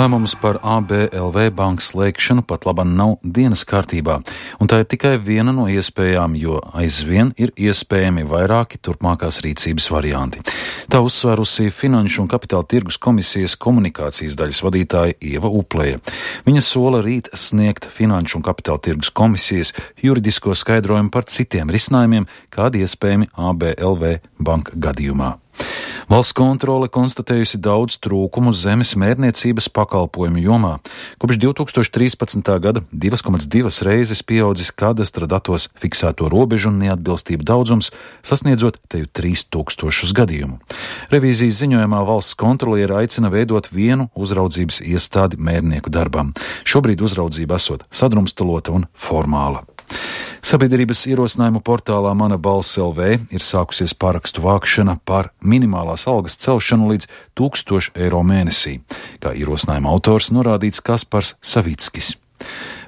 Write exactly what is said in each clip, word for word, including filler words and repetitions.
Lēmums par A B L V bankas slēgšanu pat labam nav dienas kārtībā, un tā ir tikai viena no iespējām, jo aizvien ir iespējami vairāki turpmākās rīcības varianti. Tā uzsvērusi Finanšu un kapitāla tirgus komisijas komunikācijas daļas vadītāja Ieva Upleja. Viņa sola rīt sniegt Finanšu un kapitāla tirgus komisijas juridisko skaidrojumu par citiem risinājumiem, kādi iespējami A B L V banka gadījumā. Valsts kontrole konstatējusi daudz trūkumu zemes mērniecības pakalpojumu jomā. Kopš divi tūkstoši trīspadsmitā gada divi komats divi reizes pieaudzis kadastra datos fiksēto robežu un neatbilstību daudzums, sasniedzot teju trīs tūkstošus gadījumu. Revīzijas ziņojumā valsts kontroliere aicina veidot vienu uzraudzības iestādi mērnieku darbam. Šobrīd uzraudzība esot sadrumstalota un formāla. Sabiedrības ierosinājumu portālā Mana balss L V ir sākusies parakstu vākšana par minimālās algas celšanu līdz tūkstošu eiro mēnesī, kā ierosinājuma autors norādīts Kaspars Savickis.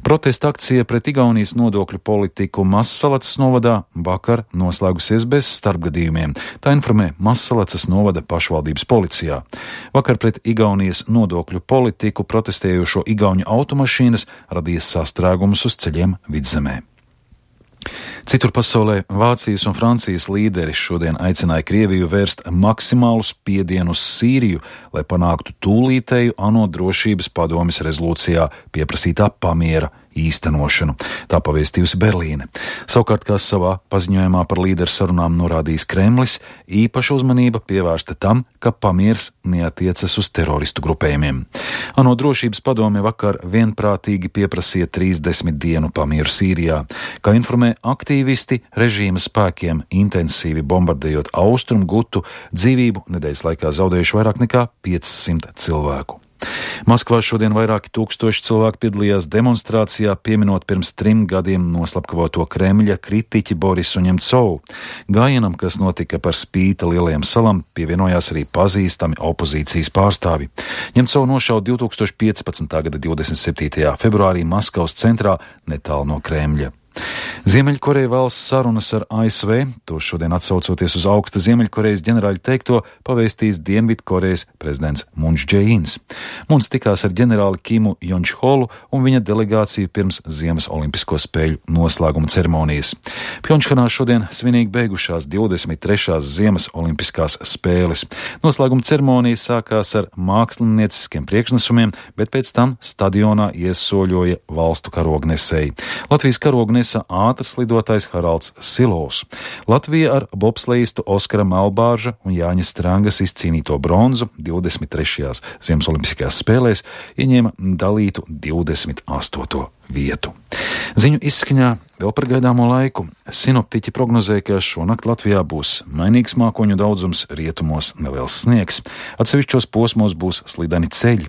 Protesta akcija pret Igaunijas nodokļu politiku Mazsalacas novadā vakar noslēgusies bez starpgadījumiem, tā informē Mazsalacas novada pašvaldības policijā. Vakar pret Igaunijas nodokļu politiku protestējošo igauņu automašīnas radīja sastrēgumus uz ceļiem Vidzemē. Citur pasaulē Vācijas un Francijas līderi šodien aicināja Krieviju vērst maksimālu spiedienu uz Sīriju, lai panāktu tūlītēju ANO drošības padomes rezolūcijā pieprasītā pamiera īstenošanu. Tā pavēstījusi Berlīne. Savukārt, kā savā paziņojumā par līderu sarunām norādījis Kremlis, īpaša uzmanība pievērsta tam, ka pamiers neatiecas uz teroristu grupējumiem. ANO drošības padome vakar vienprātīgi pieprasīja trīsdesmit dienu pamieru Sīrijā. Kā informē aktīvisti, režīma spēkiem intensīvi bombardējot austrumu gutu, dzīvību nedēļas laikā zaudējuši vairāk nekā piecsimt cilvēku. Maskvā šodien vairāki tūkstoši cilvēku piedalījās demonstrācijā, pieminot pirms trim gadiem noslapkavoto Kremļa kritiķi Borisu Ņemcovu. Gājienam, kas notika par spīti lielajām salām, pievienojās arī pazīstami opozīcijas pārstāvi. Ņemcovu nošauta divi tūkstoši piecpadsmitā gada divdesmit septītajā februārī Maskavas centrā netālu no Kremļa. Ziemeļkoreja vēlas sarunas ar A S V, to šodien atsaucoties uz augsta Ziemeļkorejas ģenerāļa teikto, pavēstījis Dienvidkorejas prezidents Muns Džeīns. Muns tikās ar ģenerāli Kimu Jončholu un viņa delegāciju pirms Ziemas olimpisko spēļu noslēguma ceremonijas. Pjončhanā šodien svinīgi beigušās divdesmit trešās Ziemas olimpiskās spēles. Noslēguma ceremonija sākās ar mākslinieciskiem priekšnesumiem, bet pēc tam stadionā iesoļoja valstu karognesēji. Latvijas karognesa ātrs lidotājs Haralds Silovs. Latvija ar bobslejistu Oskara Melbārža un Jāņa Strangas izcīnīto bronzu divdesmit trešajās Ziemas olimpiskajās spēlēs ieņēma dalītu divdesmit astoto vietu. Ziņu izskaņā vēl par gaidāmo laiku. Sinoptiķi prognozē, ka šonakt Latvijā būs mainīgs mākoņu daudzums, rietumos neliels sniegs. Atsevišķos posmos būs slideni ceļi.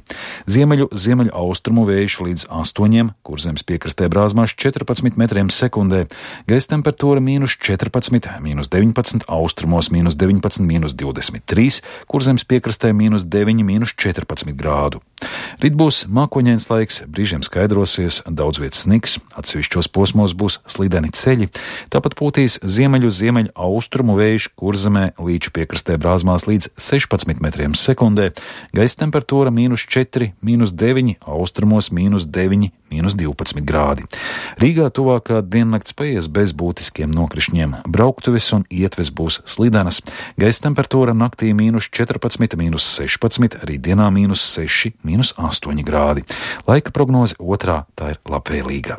Ziemeļu, ziemeļu austrumu vējš līdz astoņiem, Kurzemes piekrastē brāzmās četrpadsmit metriem sekundē. Gaisa temperatūra mīnus četrpadsmit, mīnus deviņpadsmit, austrumos mīnus deviņpadsmit, mīnus divdesmit trīs, Kurzemes piekrastē mīnus deviņi, mīnus četrpadsmit grādu. Rīt būs mākoņains laiks, brīžiem skaidrosies, daudz vietas sniks, atsevišķos posmos būs slideni ceļi, tāpat pūtīs ziemeļu ziemeļu austrumu vējš Kurzemē līču piekrastē brāzmās līdz sešpadsmit metriem sekundē, gaisa temperatūra mīnus četri, mīnus deviņi, austrumos mīnus deviņi, mīnus divpadsmit grādi. Rīgā tuvākā diennakts paies bez būtiskiem nokrišņiem, brauktuves un ietves būs slidenas, gaisa temperatūra naktī mīnus četrpadsmit, mīnus sešpadsmit, rītdienā mīnus seši, mīnus astoņi grādi. Laika prognoze otrā, tā ir labvēlīga.